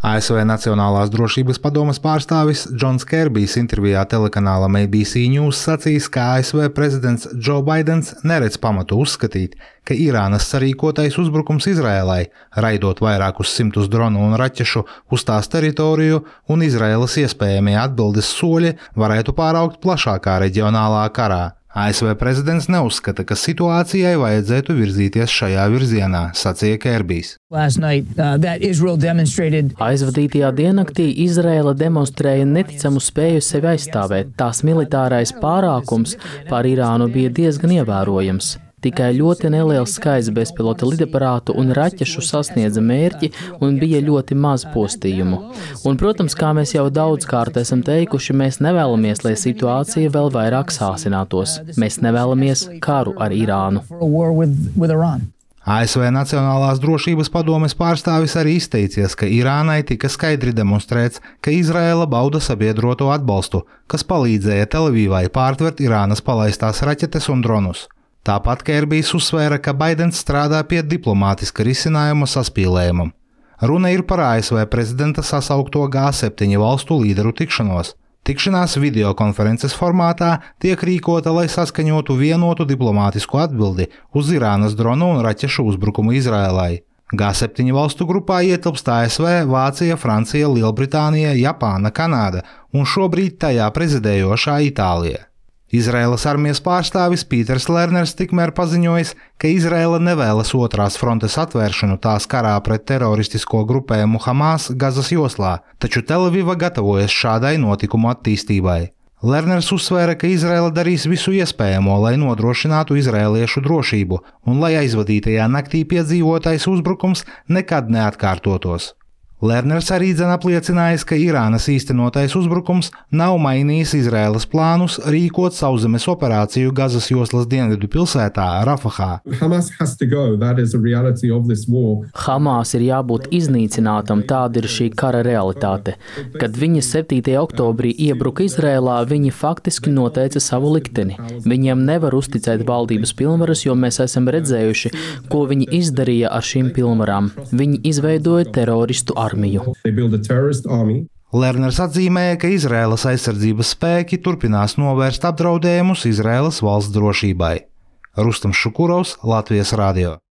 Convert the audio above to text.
ASV Nacionālās drošības padomes pārstāvis Džons Kerbijs intervijā telekanālam ABC News sacījis, ka ASV prezidents Džo Baidens neredz pamatu uzskatīt, ka Irānas sarīkotais uzbrukums Izraēlai, raidot vairākus simtus dronu un raķešu uz tās teritoriju un Izraēlas iespējamie atbildes soļi varētu pāraugt plašākā reģionālā karā. ASV prezidents neuzskata, ka situācijai vajadzētu virzīties šajā virzienā, sacīja Kerbijs. Aizvadītajā diennaktī Izraēla demonstrēja neticamu spēju sevi aizstāvēt. Tās militārais pārākums pār Irānu bija diezgan ievērojams. Tikai ļoti neliels skaits bezpilota lidaparātu un raķešu sasniedza mērķi un bija ļoti maz postījumu. Un, protams, kā mēs jau daudzkārt esam teikuši, mēs nevēlamies, lai situācija vēl vairāk sāsinātos. Mēs nevēlamies karu ar Irānu. ASV Nacionālās drošības padomes pārstāvis arī izteicies, ka Irānai tika skaidri demonstrēts, ka Izraēla bauda sabiedroto atbalstu, kas palīdzēja Televīvai pārtvert Irānas palaistās raķetes un dronus. Tāpat Kerbijs uzsvēra, ka Baidens strādā pie diplomātiska risinājuma saspīlējumam. Runa ir par ASV prezidenta sasaukto G7 valstu līderu tikšanos. Tikšanās videokonferences formātā tiek rīkota, lai saskaņotu vienotu diplomātisku atbildi uz Irānas dronu un raķešu uzbrukumu Izraēlai. G7 valstu grupā ietilpst ASV, Vācija, Francija, Lielbritānija, Japāna, Kanāda un šobrīd tajā prezidējošā Itālija. Izraēlas armijas pārstāvis Pīters Lerners tikmēr paziņojis, ka Izraēla nevēlas otrās frontes atvēršanu tās karā pret teroristisko grupējumu Hamas Gazas joslā, taču Tel-Aviva gatavojas šādai notikumu attīstībai. Lerners uzsvēra, ka Izraēla darīs visu iespējamo, lai nodrošinātu izraēliešu drošību un lai aizvadītajā naktī piedzīvotais uzbrukums nekad neatkārtotos. Lerners arī apliecinājis, ka Irānas īstenotais uzbrukums nav mainījis Izraēlas plānus rīkot sauszemes operāciju Gazas joslas dienvidu pilsētā Rafahā. Hamas ir jābūt iznīcinātam, tāda ir šī kara realitāte. Kad viņi 7. oktobrī iebruka Izraēlā, viņi faktiski noteica savu likteni. Viņiem nevar uzticēt valdības pilnvaras, jo mēs esam redzējuši, ko viņi izdarīja ar šīm pilnvarām. Viņi izveidoja teroristu armiju. Lerners atzīmēja, ka Izraēlas aizsardzības spēki turpinās novērst apdraudējumus Izraēlas valsts drošībai. Rustam Šukurovs, Latvijas radio.